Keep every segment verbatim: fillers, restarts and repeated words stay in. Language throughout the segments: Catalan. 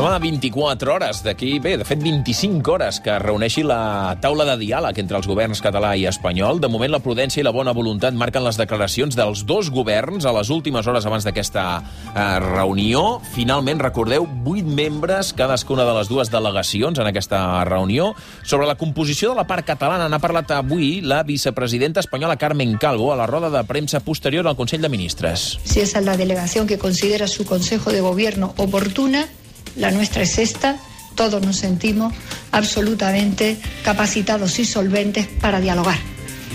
Som a vint-i-quatre hores d'aquí, bé, de fet vint-i-cinc hores que reuneixi la taula de diàleg entre els governs català i espanyol. De moment la prudència i la bona voluntat marquen les declaracions dels dos governs a les últimes hores abans d'aquesta eh, reunió. Finalment, recordeu, vuit membres, cadascuna de les dues delegacions en aquesta reunió. Sobre la composició de la part catalana n'ha parlat avui la vicepresidenta espanyola Carmen Calvo a la roda de premsa posterior al Consell de Ministres. Si esa es la delegación que considera su Consejo de Gobierno oportuna, la nuestra es esta. Todos nos sentimos absolutamente capacitados y solventes para dialogar,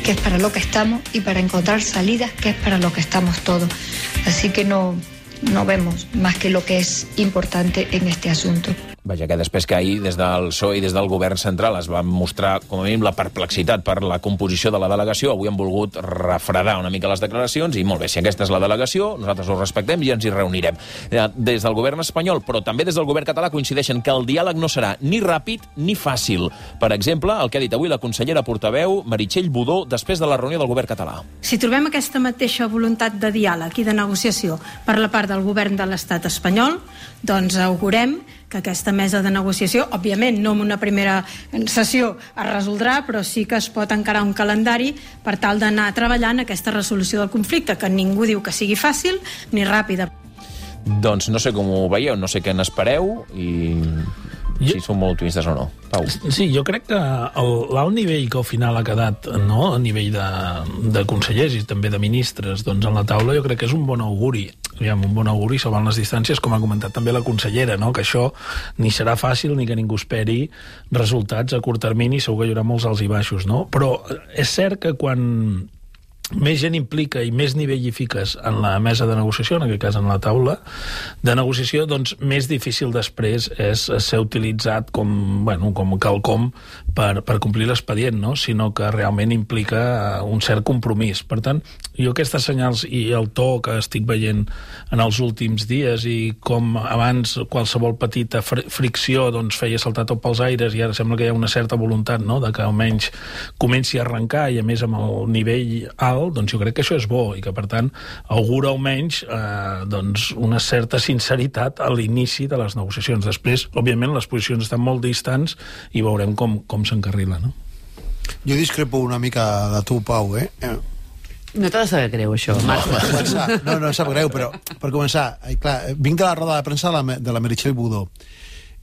que es para lo que estamos, y para encontrar salidas, que es para lo que estamos todos. Así que no, no vemos más que lo que es importante en este asunto. Vaja, que després que ahir, des del P S O E i des del govern central es va mostrar, com a mínim, la perplexitat per la composició de la delegació, avui han volgut refredar una mica les declaracions i, molt bé, si aquesta és la delegació, nosaltres ho respectem i ens hi reunirem. Des del govern espanyol, però també des del govern català, coincideixen que el diàleg no serà ni ràpid ni fàcil. Per exemple, el que ha dit avui la consellera portaveu Meritxell Budó després de la reunió del govern català. Si trobem aquesta mateixa voluntat de diàleg i de negociació per la part del govern de l'estat espanyol, doncs augurem que aquesta mesa de negociació, òbviament no en una primera sessió es resoldrà, però sí que es pot encarar un calendari per tal d'anar treballant aquesta resolució del conflicte, que ningú diu que sigui fàcil ni ràpida. Doncs no sé com ho veieu, no sé què n'espereu i si són molt optimistes o no. Pau. Sí, jo crec que l'alt nivell que al final ha quedat, no?, a nivell de, de consellers i també de ministres, doncs en la taula, jo crec que és un bon auguri. Aviam, un bon auguri salvant les distàncies, com ha comentat també la consellera, no?, que això ni serà fàcil ni que ningú esperi resultats a curt termini, segur que hi haurà molts alts i baixos, no? Però és cert que quan més gent implica i més nivell hi fiques en la mesa de negociació, en aquest cas en la taula de negociació, doncs més difícil després és ser utilitzat com, bueno, com quelcom per, per complir l'expedient, no?, sinó que realment implica un cert compromís. Per tant, jo aquestes senyals i el to que estic veient en els últims dies i com abans qualsevol petita fr fricció doncs feia saltar tot pels aires i ara sembla que hi ha una certa voluntat, no?, de que almenys comenci a arrencar i a més amb el nivell alt, doncs jo crec que això és bo i que, per tant, augura almenys eh, doncs una certa sinceritat a l'inici de les negociacions. Després, òbviament, les posicions estan molt distants i veurem com, com s'encarrila, no? Jo discrepo una mica de tu, Pau, eh? No t'ha de saber greu, això, Marc. No, per començar, no, no sap greu, però per començar, eh, clar, vinc de la roda de premsa de la, de la Meritxell Budó.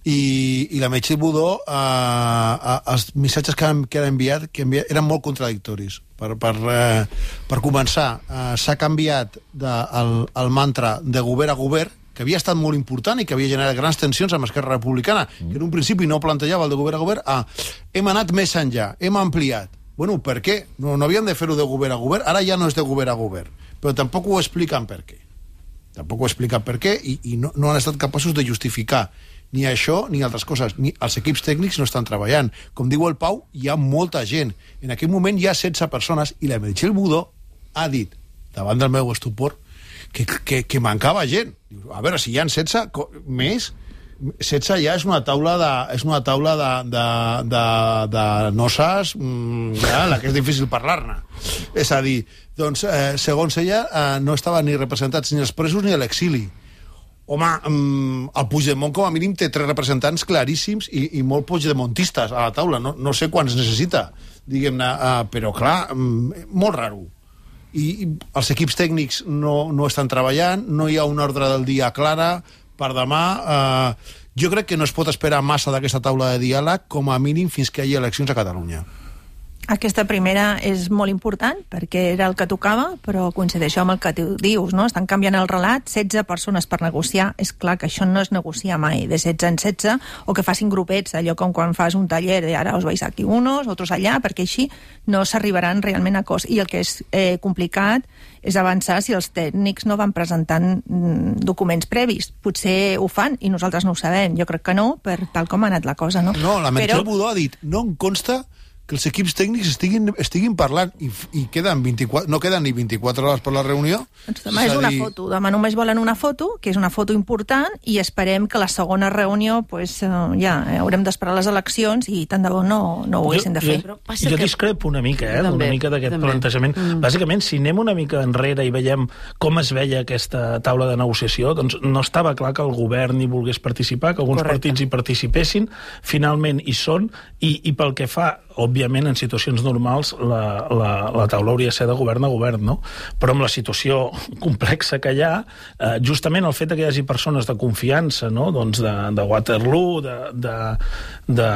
I, i la Meritxell Budó, eh, els missatges que, que han enviat, que enviat eren molt contradictoris. Per, per, eh, per començar, eh, s'ha canviat de, el, el mantra de govern a govern, que havia estat molt important i que havia generat grans tensions amb Esquerra Republicana, mm. que en un principi no plantejava el de govern a govern, a hem anat més enllà, hem ampliat. Bueno, per què? No, no havien de fer-ho de govern a govern, ara ja no és de govern a govern, però tampoc ho expliquen per què. Tampoc ho expliquen per què i, i no, no han estat capaços de justificar ni això ni altres coses. Ni els equips tècnics no estan treballant. Com diu el Pau, hi ha molta gent. En aquell moment hi ha setze persones i la Meritxell Budó ha dit, davant del meu estupor, que, que, que mancava gent. A veure, si hi ha setze més, setze ja és una taula de, és una taula de, de, de, de noces, ja, la que és difícil parlar-ne. És a dir, doncs, eh, segons ella, eh, no estaven ni representats ni els presos ni a l'exili. Home, el Puigdemont com a mínim té tres representants claríssims i, i molt puigdemontistes a la taula. No, no sé quants necessita, diguem-ne, uh, però clar, um, molt raro. I, I els equips tècnics no, no estan treballant, no hi ha una ordre del dia clara per demà. Uh, jo crec que no es pot esperar massa d'aquesta taula de diàleg, com a mínim fins que hi hagi eleccions a Catalunya. Aquesta primera és molt important perquè era el que tocava, però coincideixo amb el que tu dius, no? Estan canviant el relat, setze persones per negociar. És clar que això no es negocia mai, de setze en setze, o que facin grupets, allò com quan fas un taller de ara us vais aquí unos, otros allà, perquè així no s'arribaran realment a acords. I el que és eh, complicat és avançar si els tècnics no van presentant mm, documents previs. Potser ho fan i nosaltres no ho sabem. Jo crec que no, per tal com ha anat la cosa, no? No, la Meritxell Però... Budó ha dit, no em consta que els equips tècnics estiguin, estiguin parlant i, i queden vint-i-quatre, no queden ni vint-i-quatre hores per la reunió. Doncs demà és una dir... foto. Demà només volen una foto, que és una foto important, i esperem que la segona reunió, pues, ja, haurem d'esperar les eleccions i tant de bo no, no ho haguessin de fer. Jo, jo, jo discrepo una mica, eh, també, una mica d'aquest també. plantejament. Mm. Bàsicament, si anem una mica enrere i veiem com es veia aquesta taula de negociació, doncs no estava clar que el govern hi volgués participar, que alguns Correcte. partits hi participessin, finalment hi són, i, i pel que fa, òbviament, en situacions normals, la, la, la taula hauria de ser de govern a govern, no? Però amb la situació complexa que hi ha, eh, justament el fet que hi hagi persones de confiança, no? Doncs de, de Waterloo, de, de, de,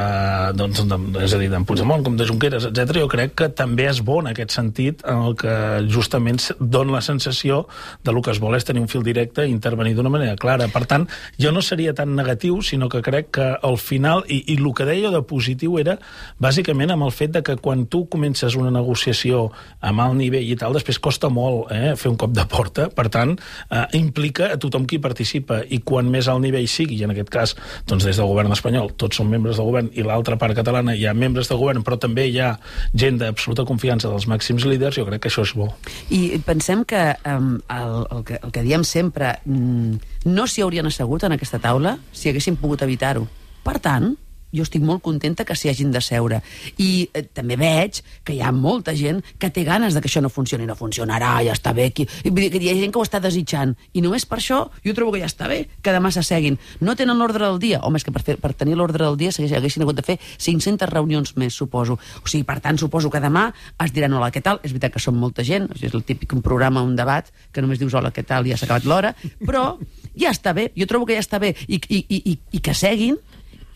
doncs, de, és a dir, d'en Puigdemont, com de Junqueras, etcètera, jo crec que també és bo en aquest sentit, en el que justament dona la sensació de lo que es vol és tenir un fil directe i intervenir d'una manera clara. Per tant, jo no seria tan negatiu, sinó que crec que al final, i, i el que deia de positiu era, bàsicament, amb el fet de que quan tu comences una negociació amb alt nivell i tal, després costa molt eh, fer un cop de porta, per tant, eh, implica a tothom qui participa, i quan més alt nivell sigui, i en aquest cas, doncs des del govern espanyol, tots són membres del govern, i l'altra part catalana hi ha membres del govern, però també hi ha gent d'absoluta confiança dels màxims líders, jo crec que això és bo. I pensem que um, el, el, que, el que diem sempre, mm, no s'hi haurien assegut en aquesta taula si haguessin pogut evitar-ho. Per tant, jo estic molt contenta que s'hi hagin de seure. I eh, també veig que hi ha molta gent que té ganes de que això no funcioni. No funcionarà, ja està bé. Qui... Vull dir que hi ha gent que ho està desitjant. I només per això jo trobo que ja està bé, que demà s'asseguin. No tenen l'ordre del dia. Home, és que per, fer, per tenir l'ordre del dia s'haguessin hagut de fer cinc-centes reunions més, suposo. O sigui, per tant, suposo que demà es diran hola, què tal? És veritat que són molta gent, és el típic un programa, un debat, que només dius hola, què tal, i ja s'ha acabat l'hora, però ja està bé. Jo trobo que ja està bé. I, i, i, i, i que seguin,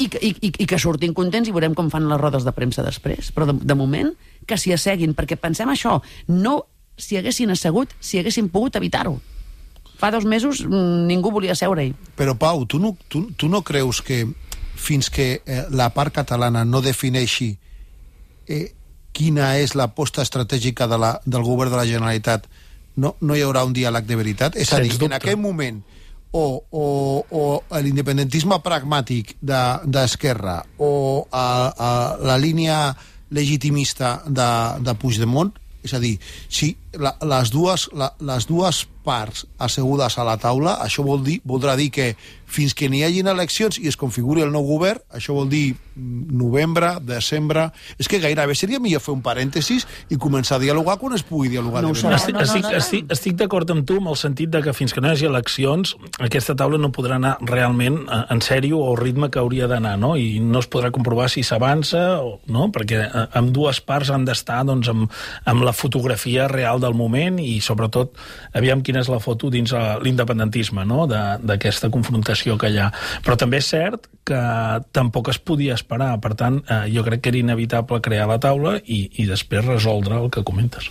I que, i, i que surtin contents i veurem com fan les rodes de premsa després. Però de, de moment que s'hi asseguin, perquè pensem això, no s'hi haguessin assegut, si haguessin pogut evitar-ho. Fa dos mesos ningú volia seure-hi. Però Pau, tu no, tu, tu no creus que fins que eh, la part catalana no defineixi eh, quina és l'aposta estratègica de la, del govern de la Generalitat, no, no hi haurà un diàleg de veritat? És a dir, en aquest moment o, o, o l'independentisme pragmàtic d'Esquerra de, o a, a la línia legitimista de, de Puigdemont, és a dir, si la, les, dues, la, les dues parts assegudes a la taula, això vol dir, voldrà dir que fins que n'hi hagin eleccions i es configuri el nou govern, això vol dir novembre, desembre... És que gairebé seria millor fer un parèntesis i començar a dialogar quan es pugui dialogar. No de serà. Estic, no, no, estic, no, no. estic, estic d'acord amb tu amb el sentit de que fins que no hi hagi eleccions aquesta taula no podrà anar realment en sèrio o al ritme que hauria d'anar, no? I no es podrà comprovar si s'avança o no, perquè amb dues parts han d'estar doncs, amb, amb la fotografia real del moment i sobretot aviam quina és la foto dins l'independentisme, no? D'aquesta confrontació que hi ha. Però també és cert que tampoc es podia esperar, per tant, eh, jo crec que era inevitable crear la taula i, i després resoldre el que comentes.